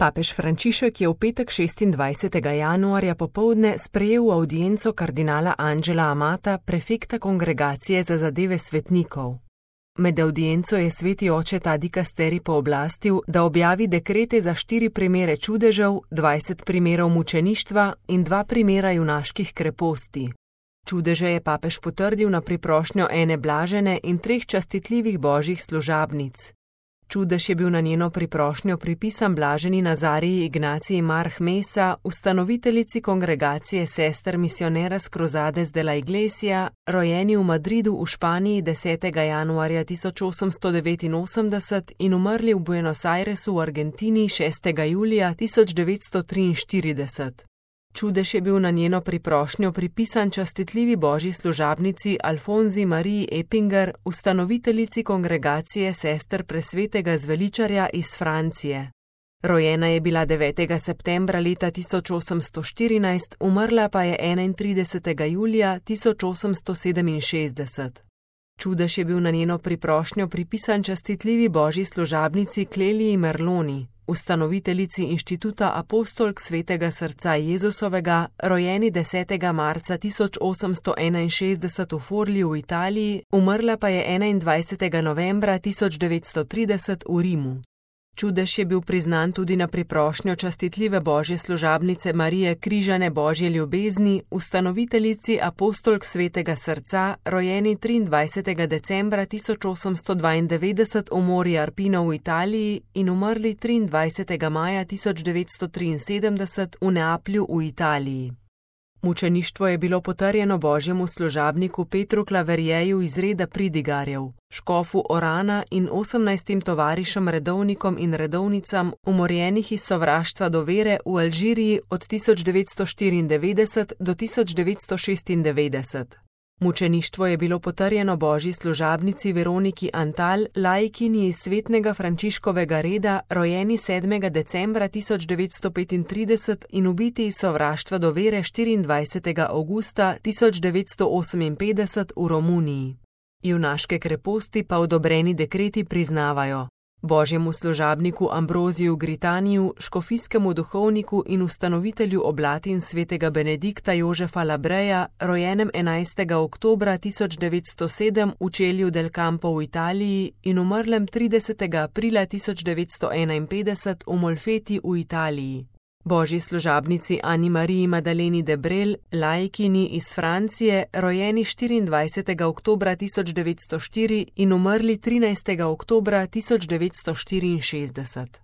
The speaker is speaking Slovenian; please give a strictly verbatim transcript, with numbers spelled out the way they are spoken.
Papež Frančišek je v petek šestindvajsetega januarja popoldne sprejel avdienco kardinala Angela Amata, prefekta Kongregacije za zadeve svetnikov. Med avdienco je sveti oče ta dikasteri pooblastil, da objavi dekrete za štiri primere čudežev, dvajset primerov mučeništva in dva primera junaških kreposti. Čudeže je papež potrdil na priprošnjo ene blažene in treh častitljivih božjih služabnic. Čudež je bil na njeno priprošnjo pripisan blaženi Nazariji Ignaciji Marh Mesa, ustanoviteljici Kongregacije sester Misioneras Cruzades de la Iglesia, rojeni v Madridu v Španiji desetega januarja tisoč osemsto devetinosemdeset in umrli v Buenos Airesu v Argentini šestega julija tisoč devetsto triinštirideset. Čudež je bil na njeno priprošnjo pripisan častitljivi božji služabnici Alfonzi Mariji Epinger, ustanoviteljici Kongregacije sester presvetega zveličarja iz Francije. Rojena je bila devetega septembra leta tisoč osemsto štirinajst, umrla pa je enaintridesetega julija tisoč osemsto sedeminšestdeset. Čudež je bil na njeno priprošnjo pripisan častitljivi božji služabnici Kleliji Merloni, ustanoviteljici Inštituta Apostolk svetega srca Jezusovega, rojeni desetega marca tisoč osemsto enainšestdeset v Forliju v Italiji, umrla pa je enaindvajsetega novembra tisoč devetsto trideset v Rimu. Čudež je bil priznan tudi na priprošnjo častitljive božje služabnice Marije Križane Božje ljubezni, ustanoviteljici Apostolk svetega srca, rojeni triindvajsetega decembra tisoč osemsto dvaindevetdeset v Mori Arpino v Italiji in umrli triindvajsetega maja tisoč devetsto triinsedemdeset v Neaplju v Italiji. Mučeništvo je bilo potrjeno božjemu služabniku Petru Klaverjeju iz reda pridigarjev, škofu Orana in osemnajstim tovarišem redovnikom in redovnicam, umorjenih iz sovraštva do vere v Alžiriji od tisoč devetsto štiriindevetdeset do tisoč devetsto šestindevetdeset. Mučeništvo je bilo potrjeno božji služabnici Veroniki Antal, laikini iz svetnega Frančiškovega reda, rojeni sedmega decembra tisoč devetsto petintrideset in ubiti iz sovraštva do vere štiriindvajsetega avgusta tisoč devetsto oseminpetdeset v Romuniji. Junaške kreposti pa odobreni dekreti priznavajo božjemu služabniku Ambroziju Gritaniju, škofijskemu duhovniku in ustanovitelju oblatin svetega Benedikta Jožefa Labreja, rojenem enajstega oktobra tisoč devetsto sedem v Čelju del Campo v Italiji in umrlem tridesetega aprila tisoč devetsto enainpetdeset v Molfeti v Italiji. Božji služabnici Ani Mariji Madaleni Debrel, laikini iz Francije, rojeni štiriindvajsetega oktobra tisoč devetsto štiri in umrli trinajstega oktobra tisoč devetsto štiriinšestdeset.